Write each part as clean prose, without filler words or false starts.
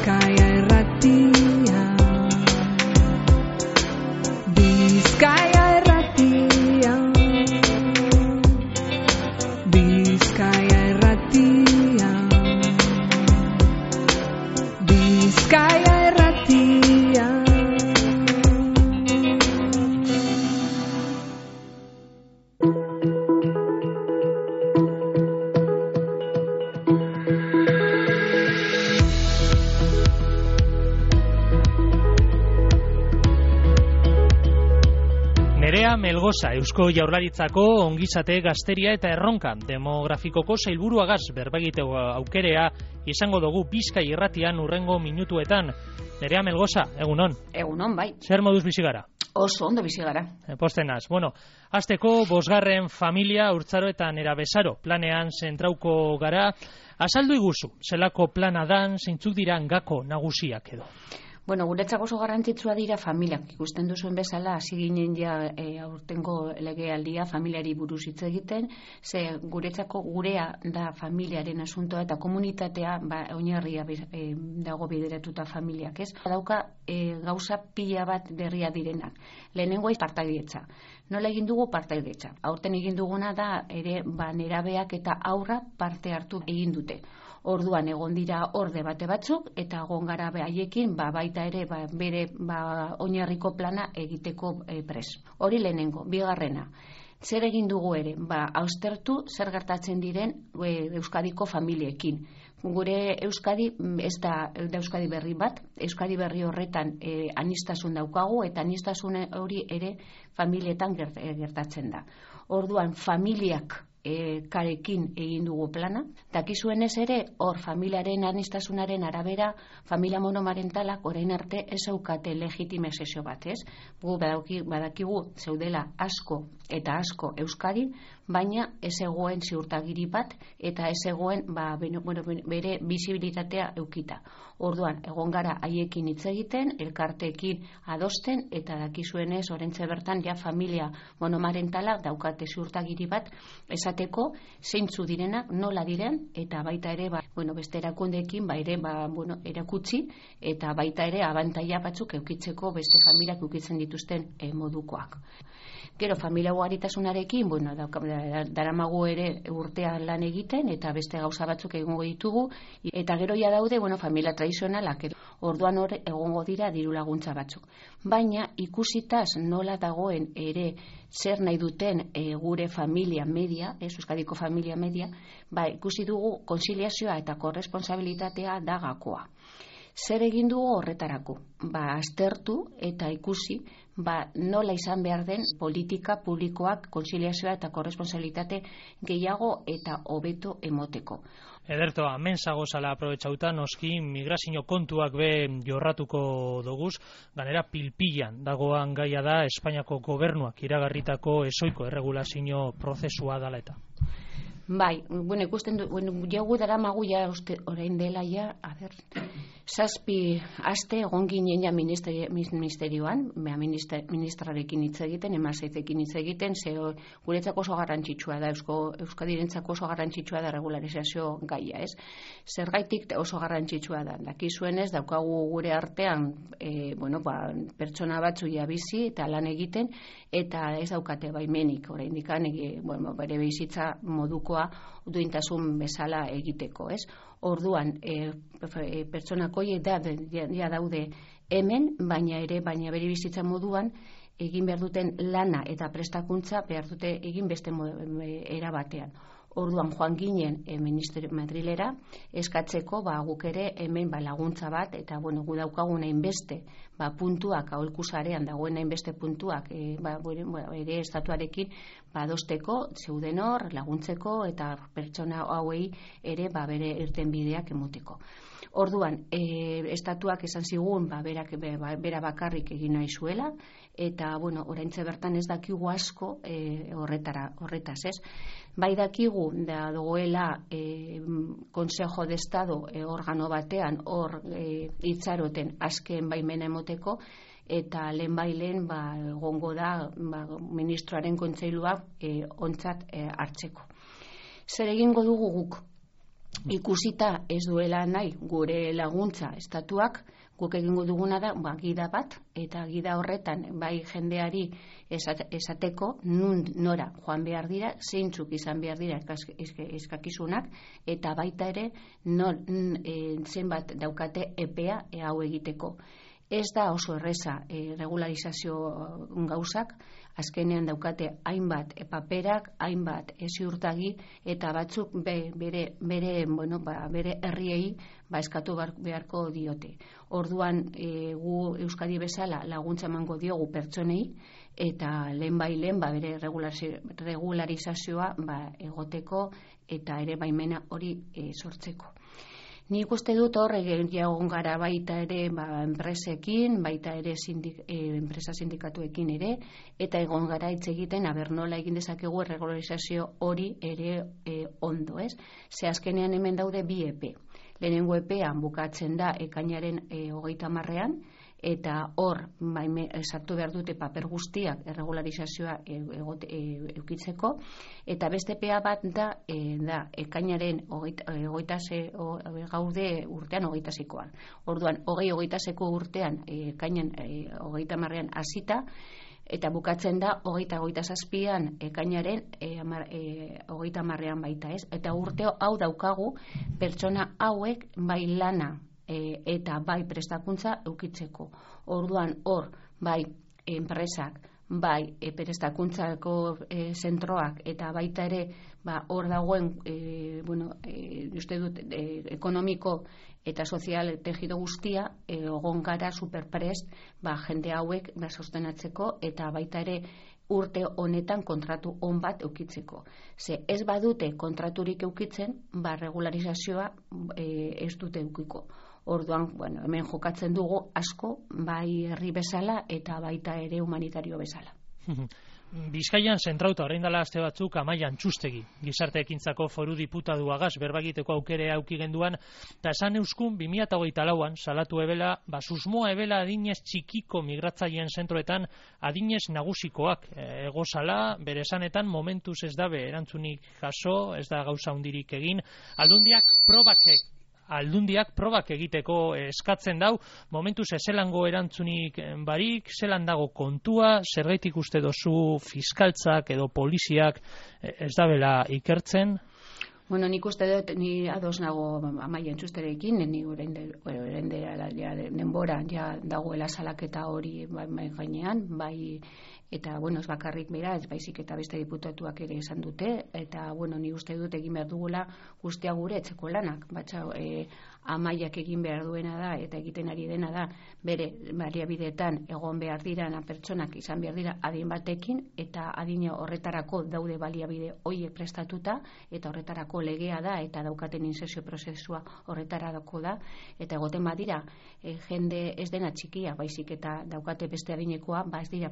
Bizkaia Irratia. Bizkaia Irratia. Bizkaia Irratia. Bizkaia Irratia. Nerea Melgoza, Eusko Jaurlaritzako ongizate gazteria eta erronka demografikoko sailburuagaz berbegiteko aukerea izango dugu Bizkaia Irratian urrengo minutuetan. Nerea Melgoza, egunon. Egunon, bai. Zer moduz bizi gara? Oso ondo bizi gara. Postenaz. Bueno, hasteko 5. familia urtzaro eta nerabezaro planean zentrauko gara. Azaldu iguzu, zelako plana dan, zeintzuk dira gako nagusiak edo? Bueno, guretzako oso garrantzitsua dira familiak. Ikusten duzuen bezala, hasi ginen ja aurtengo legealdia familiari buruz hitz egiten, ze guretzako gurea da familiaren asuntoa eta komunitatea oinarria dago bideratuta familiak, ez? Dauka gauza pila bat berria direnak. Lehenengoa partaidetza. Nola egin dugu partaidetza? Aurten egin duguna da ere nerabeak eta haurra parte hartu egin dute. Orduan egon dira hor debate batzuk eta egon gara haiekin baita ere bere oinarriko plana egiteko pres. Hori lehenengo, bigarrena. Zer egin dugu ere? Austertu zer gertatzen diren Euskadiko familiekin. Gure Euskadi ez da Euskadi berri bat, Euskadi berri horretan aniztasun daukagu eta anistasun hori ere familietan gertatzen da. Orduan familiak karekin egin dugu plana. Dakizuenez ere, hor familiaren anistasunaren arabera, familia monomarentalak orain arte ez aukate legitimazio bat, ez? Gu badakigu zeudela asko eta asko Euskadin, baina ez egoen ziurtagiri bat eta ez egoen bere bizibilitatea eukita. Orduan, egon gara haiekin hitz egiten, elkarteekin adosten, eta dakizuenez, orentxe bertan, ja familia monomarentala daukate ziurtagiri bat, esateko zeintzu direnak, nola diren, eta baita ere, beste erakundeekin, erakutsi, eta baita ere, abantaila batzuk eukitzeko beste familiak eukitzen dituzten modukoak. Gero, familia ugaritasunarekin, daramagu ere urtean lan egiten, eta beste gauza batzuk egongo ditugu, eta gero ja daude, familia tradizionalak, orduan hor egongo dira diru laguntza batzuk. Baina ikusitaz nola dagoen ere zer nahi duten gure familia media, Euskadiko familia media, ikusi dugu konziliazioa eta korresponsabilitatea da gakoa. Zer egin dugu horretarako? Aztertu eta ikusi nola izan behar den politika publikoak konziliazioa eta korresponsabilitate gehiago eta hobeto emoteko. Ederto, hemen zagozala aprobetxauta, noski migrazio kontuak be jorratuko doguz, ganera pilpilan dagoan gaia da Espainiako gobernuak iragarritako ezoiko erregulazio prozesua dala eta. Bai, ikusten du, jogu daramagu ja orain dela ja, 7 aste egon ginen ja ministerioan, ministrarekin hitz egiten, emazaitekin hitz egiten, ze guretzako oso garrantzitsua da, Euskadirentzako oso garrantzitsua da regularizazio gaia, ez? Zergaitik oso garrantzitsua da, dakizuenez, daukagu gure artean, pertsona batzu ja bizi eta lan egiten, eta ez daukate baimenik, oraindik bere bizitza modukoa duintasun bezala egiteko, ez? Orduan, pertsonak horiek ja daude hemen, baina bere bizitza moduan egin behar duten lana eta prestakuntza behar dute egin beste era batean. Orduan joan ginen Ministerio Madrilera eskatzeko guk ere hemen laguntza bat eta gu daukagun hainbeste puntuak aholkusarean dagoen hainbeste puntuak ere estatuarekin adosteko zeuden hor laguntzeko eta pertsona hauei ere bere irtenbideak emoteko. Orduan, estatuak esan zigun bera bakarrik egin nahi zuela eta oraintxe bertan ez dakigu asko horretaz, ez? Bai dakigu da dagoela Consejo de Estado organo batean hor itxaroten azken baimena emoteko eta lehenbailen egongo da ministroaren kontseilua ontzat hartzeko. Zer egingo dugu guk? Ikusita ez duela nahi gure laguntza estatuak, guk egingo duguna da gida bat, eta gida horretan bai jendeari esateko nora joan behar dira, zeintzuk izan behar dira eskakizunak, eta baita ere zenbat daukate epea hau egiteko. Ez da oso erreza regularizazio gauzak, azkenean daukate hainbat paperak, hainbat ziurtagi, eta batzuk bere herriei eskatu beharko diote. Orduan gu Euskadi bezala laguntza emango diogu pertsonei, eta lehen bere regularizazioa egoteko eta ere baimena hori sortzeko. Nik uste dut hor egon gara baita ere enpresekin, baita ere enpresa sindikatuekin ere, eta egon gara hitz egiten nola egin dezakegu erregularizazio hori ere ondo, ez? Ze azkenean hemen daude bi epe. Lehenengo epean bukatzen da ekainaren 30ean, eta hor sartu behar dute paper guztiak erregularizazioa eukitzeko, eta beste epea bat da ekainaren gaude urtean 26koan. Orduan, 26ko urtean ekainan 30ean hasita, eta bukatzen da 27an ekainaren 30ean baita, ez? Eta urte hau daukagu pertsona hauek bai lana eta bai prestakuntza eukitzeko. Orduan hor bai enpresak, bai prestakuntzako zentroak, eta baita ere hor dagoen uste dut ekonomiko eta sozial tejido guztia egon gara superprest jende hauek sostenatzeko, eta baita ere urte honetan kontratu on bat eukitzeko. Ze ez badute kontraturik eukitzen, regularizazioa ez dute eukiko. Orduan, hemen jokatzen dugu asko, bai herri bezala eta baita ere humanitario bezala. Bizkaian zentrauta orain dela aste batzuk Amaia Antxustegi, gizarte ekintzako foru diputaduagaz berbagiteko aukere auki genduan, eta esan euskun 2024an salatu ebela, susmoa ebela adinez txikiko migratzaileen zentroetan adinez nagusikoak egozala, bere esanetan momentuz ez dabe erantzunik jaso, ez da gauza hundirik egin, aldundiak probak egiteko eskatzen dau, momentuz ezelango erantzunik barik, zelan dago kontua, zergaitik uste dozu fiskaltzak edo poliziak ez dabela ikertzen? Nik uste dut, ni ados nago Amaia Antxusterekin, ni orain denbora dagoela salaketa hori gainean, bai, eta ez bakarrik bera, ez baizik eta beste diputatuak ere esan dute, eta ni uste dut egin behar dugula guztia gure etxeko lanak, Amaiak egin behar duena da eta egiten ari dena da bere baliabideetan egon behar dira pertsonak izan behar dira adin batekin, eta adina horretarako daude baliabide horiek prestatuta, eta horretarako legea da eta daukaten inserzio prozesua horretarako da, eta egoten badira jende ez dena txikia, baizik eta daukate beste adinekoa, ez dira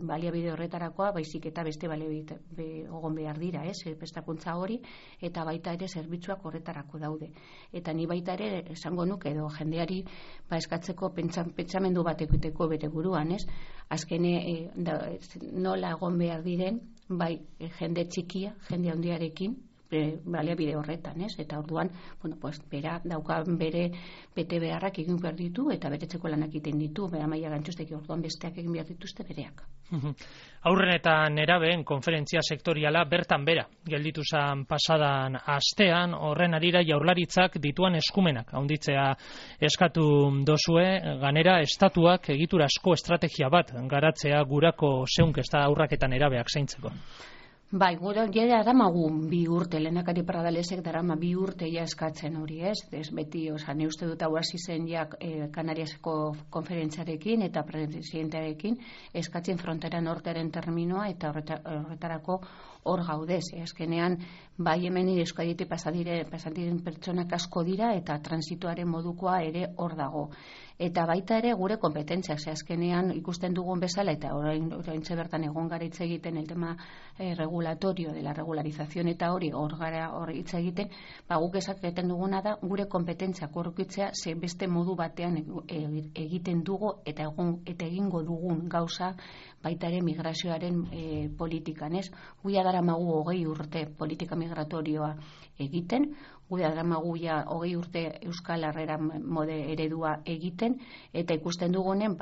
baliabide horretarakoa, baizik eta beste baliabide egon behar dira, prestakuntza hori, eta baita ere zerbitzuak horretarako daude. Eta ni baita ere esango nuke edo jendeari eskatzeko pentsamendu bat egiteko bere buruan, azkene nola egon behar diren bai jende txikia, jende handiarekin baliabide horretan, eta orduan bera dauka bere bete beharrak egin behar ditu eta betetzeko lanak egiten ditu, Amaia Antxustegi, orduan besteak egin behar dituzte bereak. Aurren eta nerabeen konferentzia sektoriala bertan bera gelditu zen pasadan astean, horren arira Jaurlaritzak dituan eskumenak handitzea eskatu dozue, ganera estatuak egiturazko estrategia bat garatzea gurako zeunkesta aurrak eta nerabeak zaintzeko. Bai, gure jera daramagu 2 urte, lehendakari Pradalesek darama 2 urte eskatzen hori, ez beti, ne uste dut hau hasi zen Kanariasko konferentziarekin eta presidentearekin eskatzen frontera nortearen terminoa, eta horretarako hor gaudez, azkenean bai hemen Euskaditik pasadiren pertsonak asko dira eta transituaren modukoa ere hor dago. Eta baita ere gure kompetentzia, azkenean ikusten dugun bezala, eta orain bertan egon gara hitz egiten el tema regulatorio de la regularización eta hori hor hitz egiten, guk esaten duguna da gure kompetentzia korrukitzea ze beste modu batean egiten dugu eta egingo dugun gauza baita ere migrazioaren politikan, Guia daramagu 20 urte politika migratorioa egiten, guda dramaguia 20 urte Euskal Herrera mode eredua egiten, eta ikusten dugunen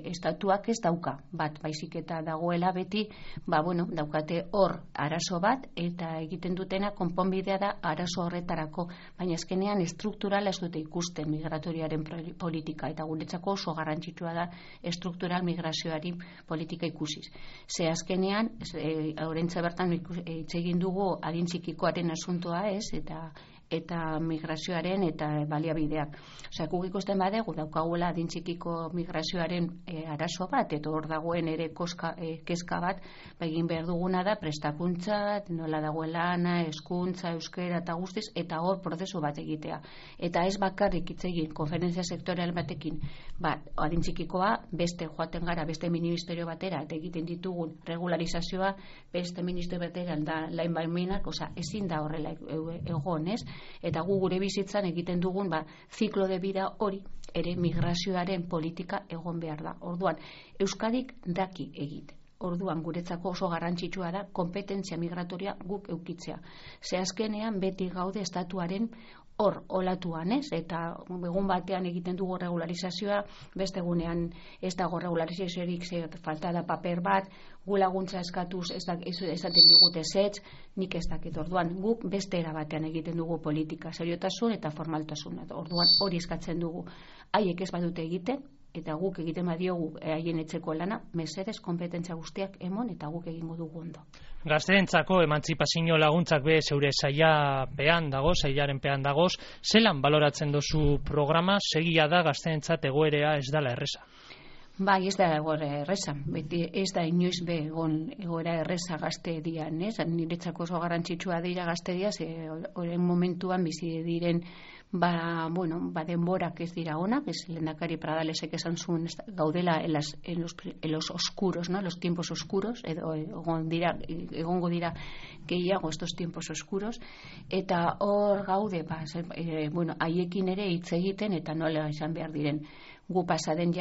estatuak ez dauka bat, baizik eta dagoela beti, daukate hor arazo bat, eta egiten dutena konponbidea da arazo horretarako, baina azkenean estrukturala ez dute ikusten migratoriaren politika, eta guretzako oso garrantzitsua da estruktural migrazioari politika ikusiz. Ze azkenean, horrentza bertan hitz egin dugu adin txikikoaren asuntoa ez, eta migrazioaren eta baliabideak. Osea, guk ikusten badegu daukaguela adin txikiko migrazioaren arazo bat, eta hor dagoen ere kezka bat, egin behar duguna da prestakuntza, nola dagoen lana, hezkuntza, euskera eta guztiz, eta hor prozesu bat egitea. Eta ez bakarrik hitz egin konferentzia sektorial batekin, adin txikikoa beste joaten gara, beste ministerio batera, eta egiten ditugun regularizazioa beste ministerio batera da lain baimenak, osea, ezin da horrela egon, ez? Eta gu gure bizitzan egiten dugun ziklo de vida hori ere migrazioaren politika egon behar da. Orduan, Euskadik daki egite. Orduan, guretzako oso garrantzitsua da kompetentzia migratoria guk eukitzea. Ze azkenean beti gaude estatuaren hor olatuan, ez? Eta egun batean egiten dugu regularizazioa, beste egunean ez dago regularizaziorik, falta da paper bat, gu laguntza eskatuz esaten digute zetz, nik ez dakit. Orduan, guk beste era batean egiten dugu politika, seriotasun eta formaltasun. Orduan, hori eskatzen dugu. Haiek ez badute egiten, eta guk egiten badiogu haien etxeko lana, mesedez konpetentzia guztiak emon, eta guk egingo dugu ondo. Gazteentzako emantzipazio laguntzak be zeure sailaren pean dagoz, zelan baloratzen dozu programa, segia da gazteentzat egoerea ez dela erreza? Bai, ez da egoera erreza, beti ez da inoiz be egoera erreza gazte dian, ez? Niretzako oso garrantzitsua dira gazte dia, horren momentuan bizi diren denborak ez dira onak, ez lehendakari Pradalesek esan zuen gaudela en los oscuros, ¿no? Los tiempos oscuros, edo egongo dira gehiago estos tiempos oscuros, eta hor gaude, haiekin ere hitz egiten eta nola izan behar diren. Gu pasaden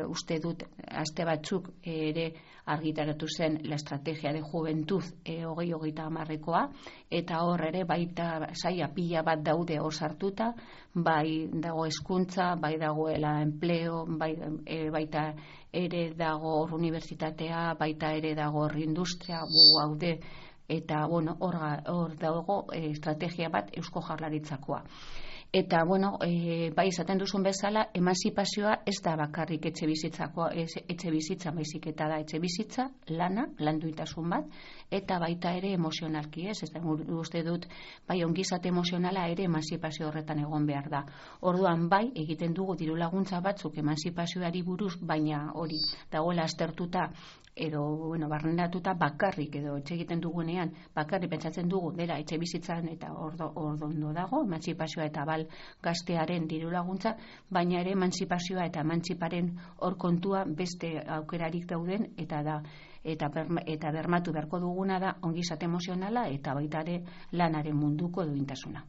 uste dut aste batzuk ere argitaratu zen la estrategia de juventud 2030-koa, eta hor ere baita saia pila bat daude hor sartuta, bai dago hezkuntza, bai dagoela empleo, baita ere dago hor unibertsitatea, baita ere dago hor industria, gu gaude, eta hor dago estrategia bat Eusko Jaurlaritzakoa. Eta, bai esaten duzun bezala, emanzipazioa ez da bakarrik etxe bizitza baizik, eta da etxe bizitza, lana, landuitasun bat, eta baita ere emozionalki, ez da uste dut, bai ongizate emozionala ere emanzipazio horretan egon behar da. Orduan, bai, egiten dugu diru laguntza batzuk emanzipazioari buruz, baina hori dagoela aztertuta, edo, barrenatuta bakarrik, edo etxe egiten dugunean, bakarrik pentsatzen dugu, dela etxe bizitzan eta ondo dago, emantzipazioa eta bal gaztearen diru laguntza, baina ere emantzipazioa eta emantziparen hor kontua beste aukerarik dauden, eta bermatu beharko duguna da ongizate emozionala eta baita ere lanaren munduko duintasuna.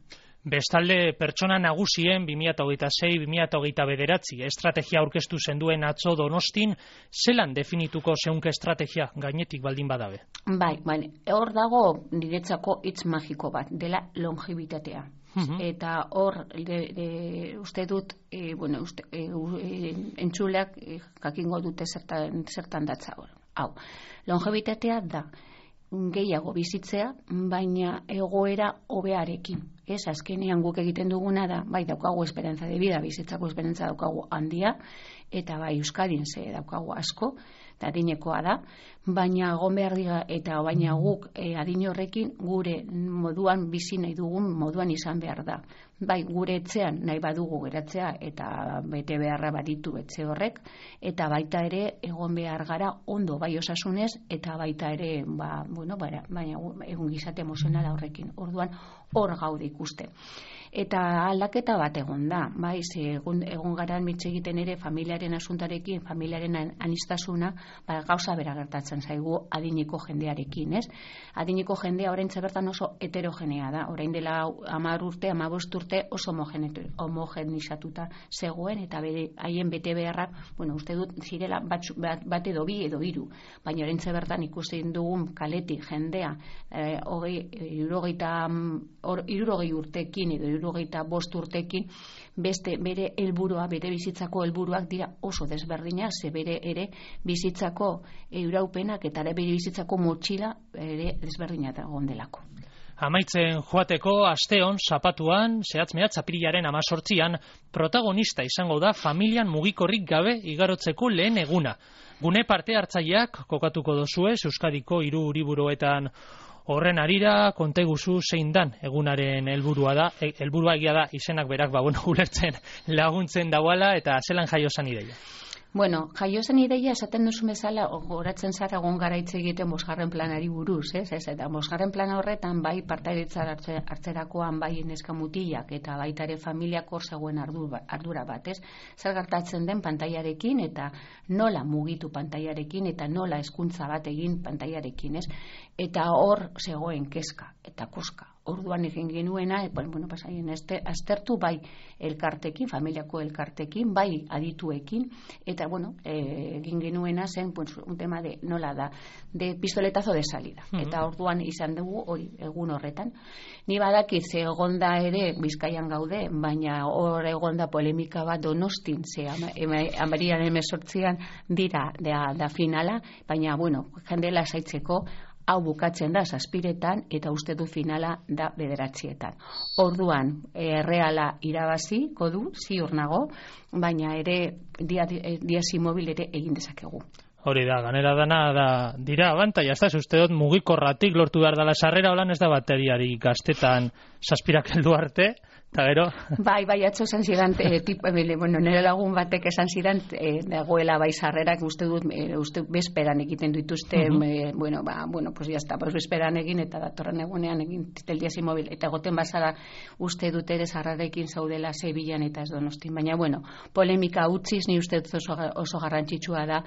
Bestalde, pertsona nagusien 2026-2029 estrategia aurkeztu zenduen atzo Donostin, zelan definituko zeunke estrategia gainetik baldin badabe? Bai, hor dago niretzako hitz magiko bat, dela longevitatea. Eta hor, uste dut, entzuleak jakingo dute zertan datza hor. Hau, longevitatea da gehiago bizitzea, baina egoera hobearekin. Ez, azkenean guk egiten duguna da, bai daukagu esperantza de vida, bizitzako esperantza daukagu handia, eta bai Euskadin ze daukagu asko, eta adinekoa da, baina egon behar dira, eta baina guk adin horrekin gure moduan bizi nahi dugun moduan izan behar da. Bai, gure etxean nahi badugu geratzea eta bete beharra baditu etxe horrek, eta baita ere egon behar gara ondo bai osasunez, eta baita ere, baina egun gizate emozionala horrekin. Orduan, hor gaude ikuste. Eta aldaketa bat egon da, bai, egon gara mitz egiten ere familiaren asuntarekin, familiaren anistasuna, gauza bera gertatzen zaigu adineko jendearekin, ez? Adineko jendea oraintxe bertan oso heterogenea da, orain dela 10 urte, 15 urte oso homogenizatuta zegoen, eta haien bete beharrak, uste dut zirela bat edo bi edo hiru, baina oraintxe bertan ikusten dugun kaletik jendea 70 60 urtekin edo 65 urtekin beste bere helburua, bere bizitzako helburuak dira oso desberdinak, ze bere ere bizitzako iraupenak eta ere bere bizitzako motxila ere desberdinak egon delako. Amaitzen joateko asteon, zapatuan, zehatz-mehatz apirilaren 18an, protagonista izango da familian mugikorrik gabe igarotzeko lehen eguna. Gune parte hartzaileak kokatuko dozue, Euskadiko 3 hiriburuetan horren harira, konteguzu zein dan egunaren helburua egia da izenak berak ulertzen laguntzen dauala eta zelan jaio zan ideia. Bueno, jaio zen ideia esaten duzu bezala, goratzen zara egon gara hitz egiten 5. planari buruz, eta 5. plana horretan bai partaidetzar hartzerakoan bai neska mutilak eta baita ere familiak hor zegoen ardura bat, zer gertatzen den pantailarekin eta nola mugitu pantailarekin eta nola hezkuntza bat egin pantailarekin, eta hor zegoen kezka eta koska. Orduan egin genuena, aztertu bai elkartekin, familiako elkartekin, bai adituekin, eta egin genuena zen un tema de nola da, de pistoletazo de salida. Eta orduan izan dugu hori egun horretan. Ni badakit ze egonda ere Bizkaian gaude, baina hor egonda polemika bat Donostin, ze amarian 18an dira da finala, baina jende lasaitzeko hau bukatzen da 7etan eta uste du finala da 9etan. Orduan, Reala irabaziko du, ziur nago, baina ere diasi mobil ere egin dezakegu. Hori da, ganera dana dira abantaia, ez da, uste dut mugikorratik lortu behar dela sarrera, holan ez da bateriari gaztetan 7 heldu arte, eta gero? Bai, atzo esan zidan, nire lagun batek esan zidan, dagoela bai sarrerak, uste bezperan egiten dituzte, pues ya está, bezperan egin, eta datorren egunean egin teldiasi mobil, eta goten bazara uste dut ere sarrarekin zaudela Sevillan eta ez Donostin, baina polemika utziz, ni uste dut oso garrantzitsua da,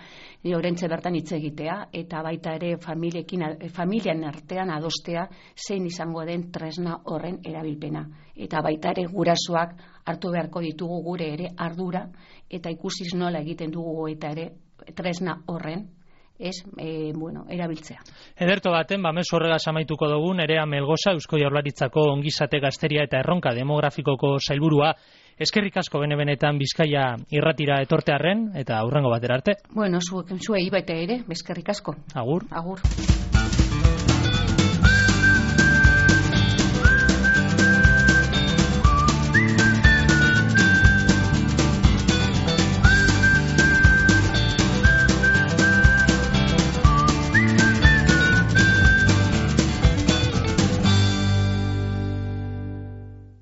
orentze bertan hitz egitea, eta baita ere familian artean adostea zein izango den tresna horren erabilpena. Eta baita ere gurasoak hartu beharko ditugu gure ere ardura, eta ikusiz nola egiten dugu eta ere tresna horren erabiltzea. Ederto baten, mezu horregaz amaituko dugu, Nerea Melgoza, Eusko Jaurlaritzako ongizate gazteria eta erronka demografikoko sailburua. Eskerrik asko benetan Bizkaia irratira etortearren, eta hurrengo batera arte. Zuei baita ere, eskerrik asko. Agur. Agur.